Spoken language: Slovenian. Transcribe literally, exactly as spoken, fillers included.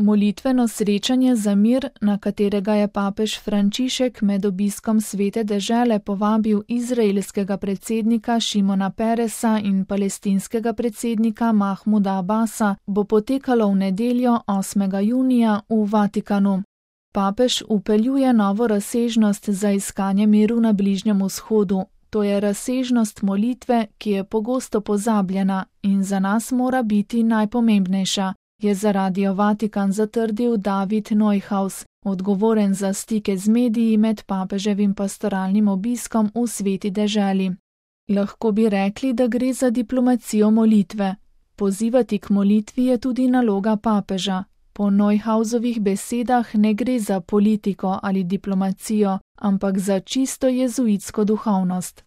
Molitveno srečanje za mir, na katerega je papež Frančišek med obiskom Svete dežele povabil izraelskega predsednika Šimona Peresa in palestinskega predsednika Mahmuda Abasa, bo potekalo v nedeljo osmega junija v Vatikanu. Papež vpeljuje novo razsežnost za iskanje miru na Bližnjem vzhodu. To je razsežnost molitve, ki je pogosto pozabljena in za nas mora biti najpomembnejša, je za Radio Vatikan zatrdil David Neuhaus, odgovoren za stike z mediji med papeževim pastoralnim obiskom v Sveti deželi. Lahko bi rekli, da gre za diplomacijo molitve. Pozivati k molitvi je tudi naloga papeža. Po Neuhausovih besedah ne gre za politiko ali diplomacijo, ampak za čisto jezuitsko duhovnost.